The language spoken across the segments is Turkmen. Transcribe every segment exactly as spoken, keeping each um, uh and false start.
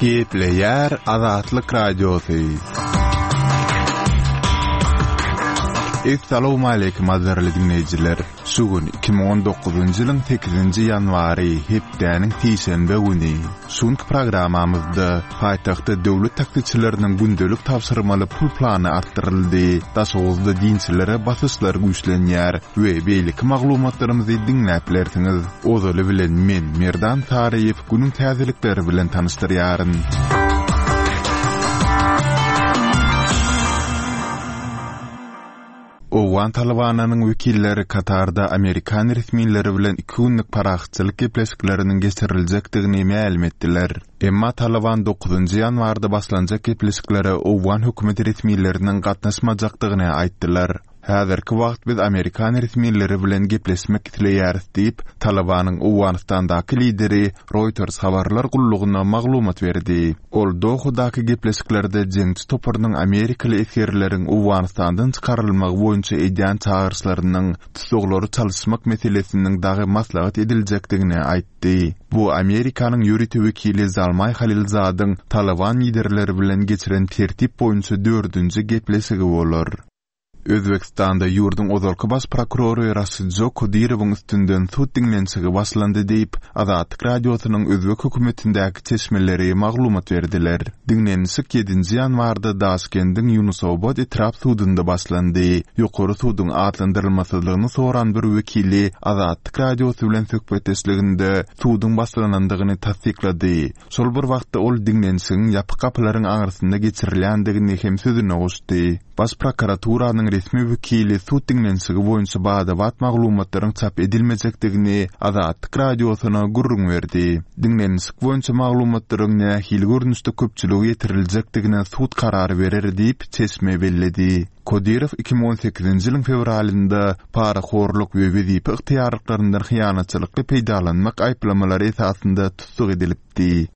Gepleýär Azatlyk Radiosy. Essalawmaleýkim gadyrly diňleýjiler. Şu gün iki müň on dokuzynjy ýylyň sekizinji ýanwary, hepdäniň sişenbe güni. Şu günki programmamyzda paýtagtda döwlet taksiçileriniň gündelik tabşyrmaly pul plany artdyryldy, Daşoguzda dinçilere basyşlar güýçlenýär we beýleki maglumatlarymyzy diňläp bilersiňiz. Ozaly bilen men, Merdan Saryýew, günüň täzelikleri bilen tanyşdyrýaryn. Owgan Talybanynyň wekilleri Katarda amerikan resmileri bilen iki günlük parahatçylyk gepleşikleriniň geçiriljekdigini mälim etdiler. Emma Talyban dokuzynjy ýanwarda başlanjak gepleşiklere owgan hökümet resmileriniň gatnaşmajakdygyny aýtdylar. Häzirki wagt biz amerikan resmileri bilen gepleşmek isleýäris diýip, Talybanyň Owganystandaky lideri Reuters habarlar gullugyna maglumat berdi. Ol Dohadaky gepleşiklerde jeňçi toparynyň amerikaly esgerleriň Owganystandan çykarylmagy boýunça edýän çagyryşlarynyň tutsaglary çalyşmak meselesiniň dagy maslahat ediljekdigini aýtdy. Bu Amerikanyň ýörite wekili Zalmaý Halilzadyň Talyban liderleri bilen geçiren tertip boýunça dördünji gepleşigi bolar. Özbekistanda ýurduň ozalky baş prokurory Raşidjo Kodirowyň üstünden sud diňlenişigi başlandy diýip, Azatlyk Radiosynyň özbek hökümetindäki çeşmeleri maglumat berdiler. Diňlenişik ýedinji ýanwarda Daşkendiň Ýunusobod etrap sudunda başlandy. Ýokary suduň atlandyrylmasyzlygyny soran bir wekili Azatlyk Radiosy bilen söhbetdeşliginde suduň başlanandygyny tassyklady. Şol bir wagtda ol diňlenişigiň ýapyk gapylaryň aňyrsynda geçirilýändigini hem sözüne goşdy. Baş prokuraturanyň resmi wekili sud diňlenişigi boýunça bada-bat maglumatlaryň çap edilmejekdigini Azatlyk Radiosyna gürrüň berdi. Diňlenişik boýunça maglumatlaryň nähili görnüşde köpçülige ýetiriljekdigine sud karary berer diýip, çeşme belledi. Kodirow iki müň on sekizinji ýylyň fewralynda parahorluk we wezipe ygtyýarlyklaryndan hyýanatçylykly peýdalanmak aýyplamalary esasynda tussag edilipdi.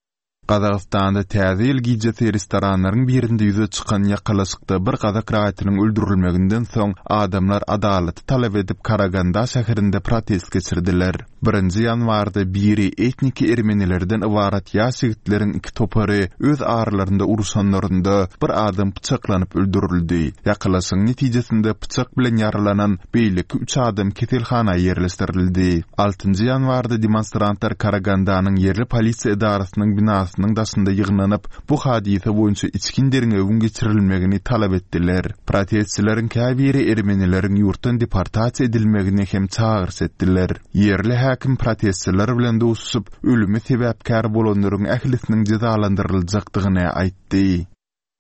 Gazagystanda Täze ýyl gijesi restoranlaryň birinde ýüze çykan ýakalaşykda bir gazak raýatynyň öldürilmeginden soň adamlar adalaty talap edip Karaganda şäherinde protest geçirdiler. Birinji ýanwarda biri etniki ermenilerden ybarat ýaş ýigitleriň iki topary öz aralarynda uruşanlarynda bir adam pyçaklanyp öldürildi. Ýakalaşygyň netijesinde pyçak bilen ýaralanan beýleki üç adam keselhana ýerleşdirildi. Altynjy ýanwarda demonstrantlar Karagandanyň ýerli polisiýa edarasynyň binasynyň daşynda ýygnanyp, bu hadysa boýunça içgin derňewiň geçirilmegini talap etdiler. Protestçileriň käbiri ermenileriň ýurtdan deportasiýa edilmegini hem çagyryş etdiler. Ýerli häkim protestçiler bilen duşuşyp, ölüme sebäpkär bolanlaryň ählisiniň jezalandyryljakdygyny aýtdy.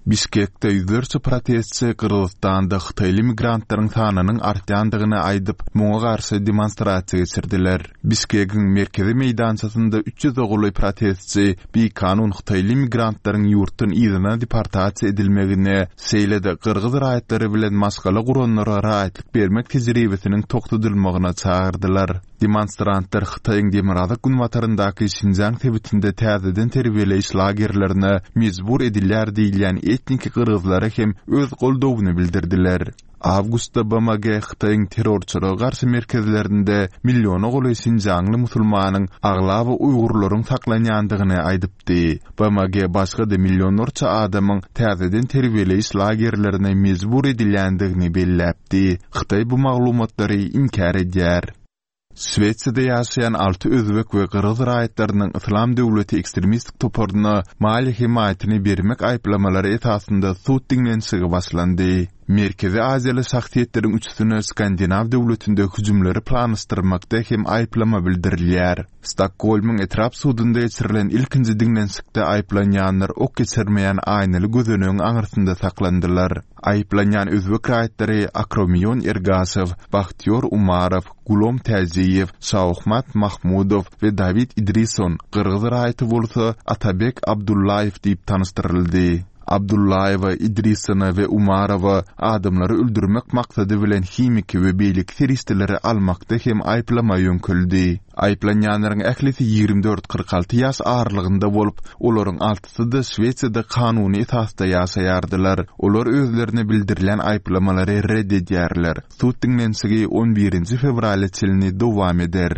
Bişkekde ýüzlerçe protestçi Gyrgyzystanda hytaýly migrantlaryň sanynyň artýandygyny aýdyp, muňa garşy demonstrasiýa geçirdiler. Bişkegiň merkezi meýdançasynda üç ýüze golaý protestçi bikanun hytaýly migrantlaryň ýurtdan yzyna deportasiýa edilmegine, şeýle-de gyrgyz raýatlary bilen maşgala guranlara raýatlyk bermek tejribesiniň togtadylmagyna çagyrdylar. Demonstrantlar Hytaýyň demirgazyk günbataryndaky Şinjiang sebitinde täzeden terbiýeleýiş lagerlerine mejbur edilýär diýilýän etniki gyrgyzlara hem öz goldawyny bildirdiler. Awgustda B M G Hytaýyň terrorçylyga garşy merkezlerinde milliona golaý Şinjiangly musulmanyň aglaba uýgurlaryň saklanýandygyny aýdypdy. B M G başga-da millionlarça adamyň täzeden terbiýeleýiş lagerlerine mejbur edilýändigini belläpdi. Hytaý bu maglumatlary inkär edýär. Şwesiýada ýaşaýan alty özbek we gyrgyz raýatlarynyň Yslam döwleti ekstremistik toparyna maliýe hemaýatyny bermek aýyplamalary esasynda sud diňlenişigi başlandy. Merkezi Aziýaly şahsyýetleriň üçüsine Skandinaw döwletinde hüjümleri planlaşdyrmakda hem aýyplama bildirilýär. Stokgolmyň etrap sudunda geçirilen ilkinji diňlenişikde aýyplanýanlar ok geçirmeýän aýnaly gözenegiň aňyrsynda saklandylar. Aýyplanýan özbek raýatlary Akromion Ergaşew, Bahtiýor Umarow, Gulom Täjiýew, Şaohmat Mahmudow we Dawid Idrison, gyrgyz raýaty bolsa Atabek Abdullaýew diýip tanyşdyryldy. Abdullaýewa, Idrisona we Umarowa adamlary öldürmek maksady bilen himiki we beýleki serişdeleri almakda hem aýyplama ýöňküldi. Aýyplanýanlaryň ählisi ýigrimi dört kyrk alty ýaş aralygynda bolup, olaryň altysy-da Şwesiýada kanuny esasda ýaşaýardylar. Olar özlerine bildirilen aýyplamalary red edýärler. Sud diňlenişigi on birinji fewrala çenli dowam eder.